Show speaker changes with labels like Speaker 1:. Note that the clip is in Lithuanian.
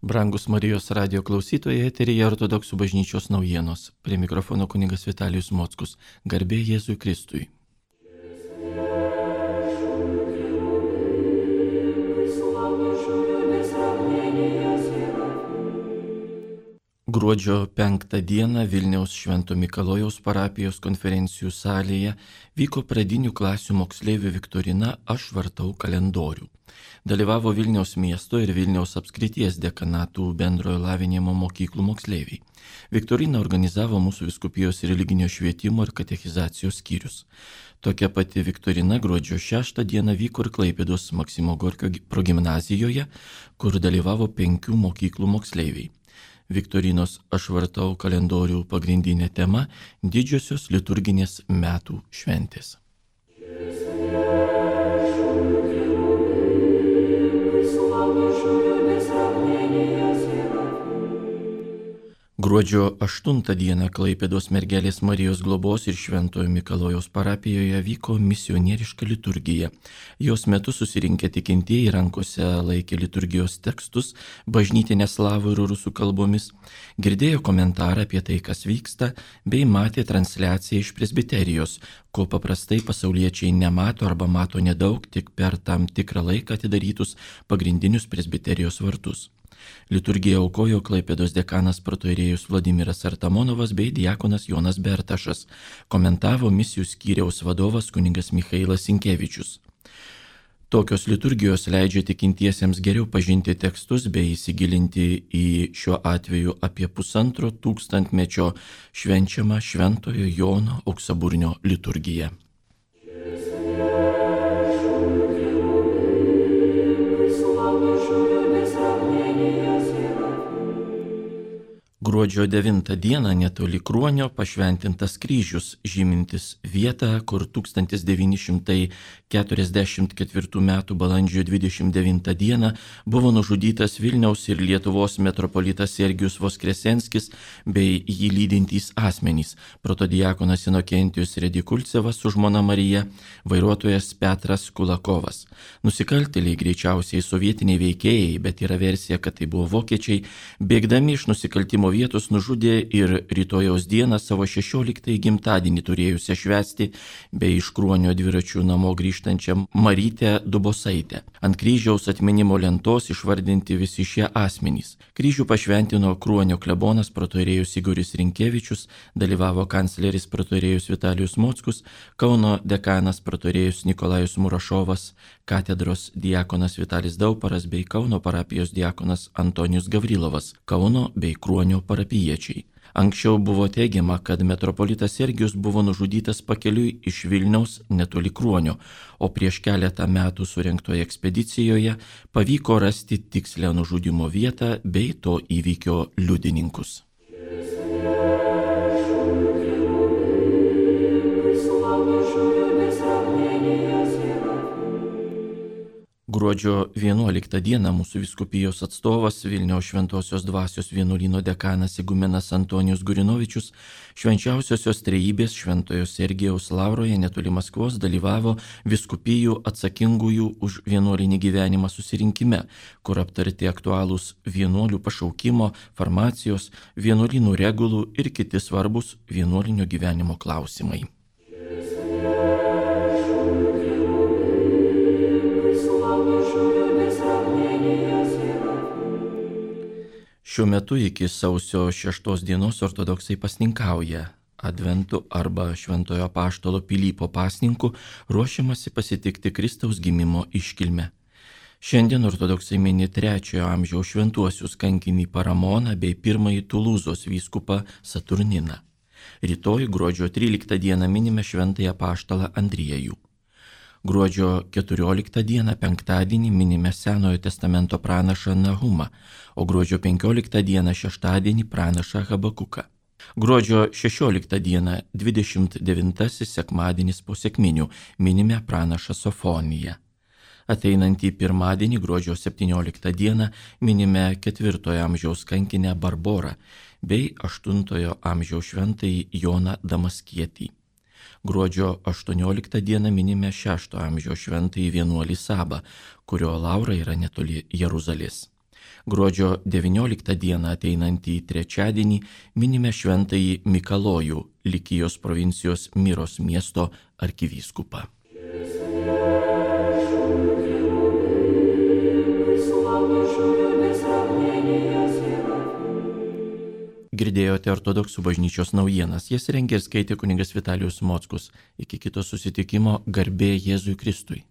Speaker 1: Brangus Marijos radijo klausytojai, eteryje Ortodoksų bažnyčios naujienos. Prie mikrofono kunigas Vitalijus Mockus. Garbė Jėzui Kristui. Gruodžio 5 dieną Vilniaus Švento Mikalojaus parapijos konferencijų salėje vyko pradinių klasių moksleivių viktorina Aš vartau kalendorių. Dalyvavo Vilniaus miesto ir Vilniaus apskrities dekanatų bendrojo lavinimo mokyklų moksleiviai. Viktoriną organizavo mūsų vyskupijos religinio švietimo ir katechizacijos skyrius. Tokia pati viktorina gruodžio 6 dieną vyko ir Klaipėdos Maksimo Gorkio progimnazijoje, kur dalyvavo 5 mokyklų moksleiviai. Viktorinos Aš vartau kalendorių pagrindinė tema – didžiosios liturginės metų šventės. Gruodžio 8 dieną Klaipėdos Mergelės Marijos globos ir Šventojo Mikalojaus parapijoje vyko misionieriška liturgija. Jos metu susirinkę tikintieji rankose laikė liturgijos tekstus bažnytinė slavų ir rusų kalbomis, girdėjo komentarą apie tai, kas vyksta, bei matė transliaciją iš presbiterijos, ko paprastai pasauliečiai nemato arba mato nedaug tik per tam tikrą laiką atidarytus pagrindinius presbiterijos vartus. Liturgiją aukojo Klaipėdos dekanas protoirėjus Vladimiras Artamonovas bei diakonas Jonas Bertašas, komentavo misijų skyriaus vadovas kunigas Michailas Sinkevičius. Tokios liturgijos leidžia tikintiesiems geriau pažinti tekstus bei įsigilinti į šiuo atveju apie 1,5 tūkstantmečio švenčiamą Šventojo Jono auksaburnio liturgiją. Gruodžio 9 dieną netoli Kruonio pašventintas kryžius, žymintis vietą, kur 1944 m. balandžio 29 dieną buvo nužudytas Vilniaus ir Lietuvos metropolitas Sergijus Voskresenskis bei jį lydintys asmenys – protodiakonas Inokentijus Redikulcevas su žmona Marija, vairuotojas Petras Kulakovas. Nusikaltėliai, greičiausiai sovietiniai veikėjai, bet yra versija, kad tai buvo vokiečiai, bėgdami iš nusikaltimo vietos nužudė ir rytojaus dieną savo 16 gimtadienį turėjusią švęsti bei iš Kruonio dviračių namo grįžtančią Marytę Dubosaitę. Ant kryžiaus atminimo lentos išvardinti visi šie asmenys. Kryžių pašventino Kruonio klebonas protoirėjus Igoris Rinkevičius, dalyvavo kancleris protoirėjus Vitalijus Mockus, Kauno dekanas protoirėjus Nikolajus Murašovas, katedros diakonas Vitalis Dauparas bei Kauno parapijos diakonas Antonijus Gavrilovas, Kauno bei Kruonio parapijiečiai. Anksčiau buvo teigiama, kad metropolitas Sergijus buvo nužudytas pakeliui iš Vilniaus netoli Kruonio, o prieš keletą metų surengtoje ekspedicijoje pavyko rasti tikslę nužudymo vietą bei to įvykio liudininkus. Gruodžio 11 dieną mūsų vyskupijos atstovas Vilniaus Šventosios Dvasios vienuolyno dekanas igumenas Antonijus Gurinovičius švenčiausiosios trejybės Šventojo Sergijaus lauroje netoli Maskvos dalyvavo vyskupijų atsakingųjų už vienuolinį gyvenimą susirinkime, kur aptarti aktualūs vienuolių pašaukimo, farmacijos, vienuolynų regulų ir kiti svarbus vienuolinio gyvenimo klausimai. Šiuo metu iki sausio 6 dienos ortodoksai pasninkauja. Adventu arba Šventojo Apaštalo Pilypo pasninku ruošiamasi pasitikti Kristaus gimimo iškilmę. Šiandien ortodoksai mini 3 amžiaus šventuosius kankinį Paramoną bei 1 Tulūzos vyskupą Saturniną. Rytoj gruodžio 13 dieną minime Šventąjį Apaštalą Andriejų. Gruodžio 14 dieną penktadienį minime Senojo testamento pranašą Nahumą, o gruodžio 15 dieną šeštadienį pranašą Habakuką. Gruodžio 16 dieną 29 sekmadienis po sekminių minime pranašą Sofoniją. Ateinantį pirmadienį gruodžio 17 dieną minime 4 amžiaus kankinę Barborą bei 8 amžiaus šventąjį Joną Damaskietį. Gruodžio 18 dieną minime 6 amžiaus šventąjį vienuolį Sabą, kurio laura yra netoli Jeruzalės. Gruodžio 19 dieną ateinantį trečiadienį minime šventąjį Mikalojų, Likijos provincijos Miros miesto arkivyskupą. Girdėjote ortodoksų bažnyčios naujienas, jas rengė ir skaitė kunigas Vitalijus Mockus. Iki kito susitikimo, garbė Jėzui Kristui.